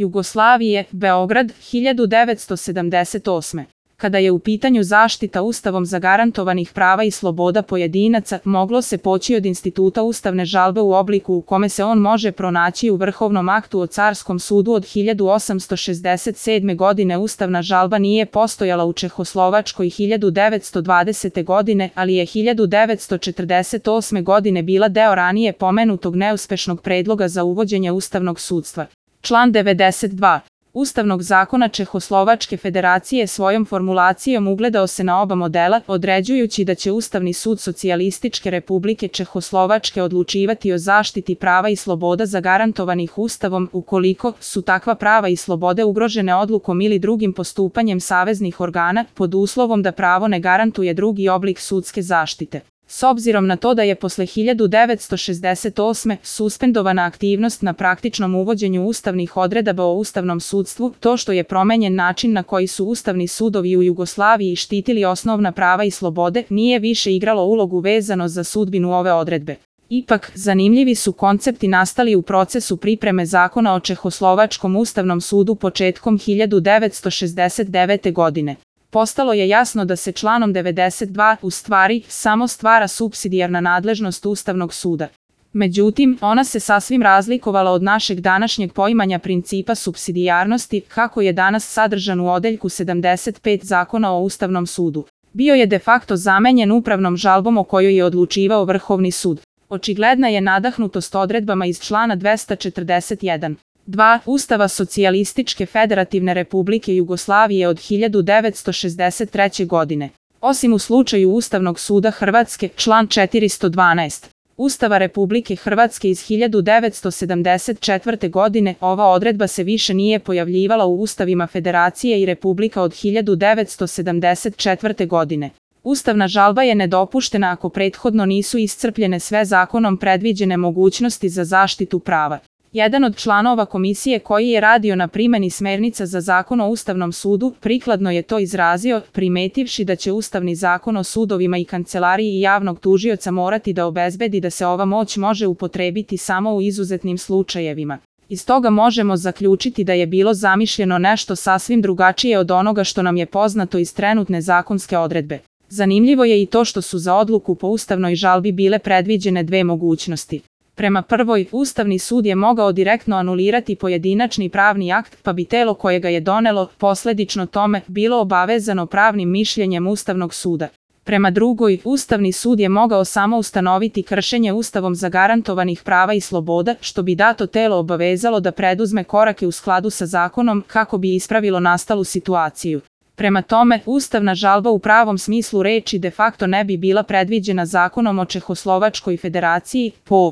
Jugoslavije, Beograd, 1978. Kada je u pitanju zaštita Ustavom zagarantovanih prava i sloboda pojedinaca, moglo se poći od instituta ustavne žalbe u obliku u kome se on može pronaći u Vrhovnom aktu o Carskom sudu od 1867. godine. Ustavna žalba nije postojala u Čehoslovačkoj 1920. godine, ali je 1948. godine bila deo ranije pomenutog neuspešnog predloga za uvođenje ustavnog sudstva. Član 92. Ustavnog zakona Čehoslovačke federacije svojom formulacijom ugledao se na oba modela, određujući da će Ustavni sud Socijalističke Republike Čehoslovačke odlučivati o zaštiti prava i sloboda zagarantovanih Ustavom, ukoliko su takva prava i slobode ugrožene odlukom ili drugim postupanjem saveznih organa, pod uslovom da pravo ne garantuje drugi oblik sudske zaštite. S obzirom na to da je posle 1968. suspendovana aktivnost na praktičnom uvođenju ustavnih odredaba o ustavnom sudstvu, to što je promenjen način na koji su ustavni sudovi u Jugoslaviji štitili osnovna prava i slobode, nije više igralo ulogu vezano za sudbinu ove odredbe. Ipak, zanimljivi su koncepti nastali u procesu pripreme zakona o Čehoslovačkom ustavnom sudu početkom 1969. godine. Postalo je jasno da se članom 92 u stvari samo stvara supsidijarna nadležnost Ustavnog suda. Međutim, ona se sasvim razlikovala od našeg današnjeg poimanja principa supsidijarnosti, kako je danas sadržan u odeljku 75 Zakona o Ustavnom sudu. Bio je de facto zamenjen upravnom žalbom o kojoj je odlučivao Vrhovni sud. Očigledna je nadahnutost odredbama iz člana 241. 2. Ustava Socijalističke Federativne Republike Jugoslavije od 1963. godine. Osim u slučaju Ustavnog suda Hrvatske, član 412. Ustava Republike Hrvatske iz 1974. godine, ova odredba se više nije pojavljivala u ustavima Federacije i Republika od 1974. godine. Ustavna žalba je nedopuštena ako prethodno nisu iscrpljene sve zakonom predviđene mogućnosti za zaštitu prava. Jedan od članova komisije koji je radio na primeni smernica za zakon o Ustavnom sudu, prikladno je to izrazio, primetivši da će Ustavni zakon o sudovima i kancelariji i javnog tužioca morati da obezbedi da se ova moć može upotrebiti samo u izuzetnim slučajevima. Iz toga možemo zaključiti da je bilo zamišljeno nešto sasvim drugačije od onoga što nam je poznato iz trenutne zakonske odredbe. Zanimljivo je i to što su za odluku po ustavnoj žalbi bile predviđene dve mogućnosti. Prema prvoj, Ustavni sud je mogao direktno anulirati pojedinačni pravni akt, pa bi telo koje ga je donelo, posledično tome, bilo obavezano pravnim mišljenjem Ustavnog suda. Prema drugoj, Ustavni sud je mogao samo ustanoviti kršenje Ustavom zagarantovanih prava i sloboda, što bi dato telo obavezalo da preduzme korake u skladu sa zakonom kako bi ispravilo nastalu situaciju. Prema tome, ustavna žalba u pravom smislu reči de facto ne bi bila predviđena zakonom o Čehoslovačkoj federaciji, po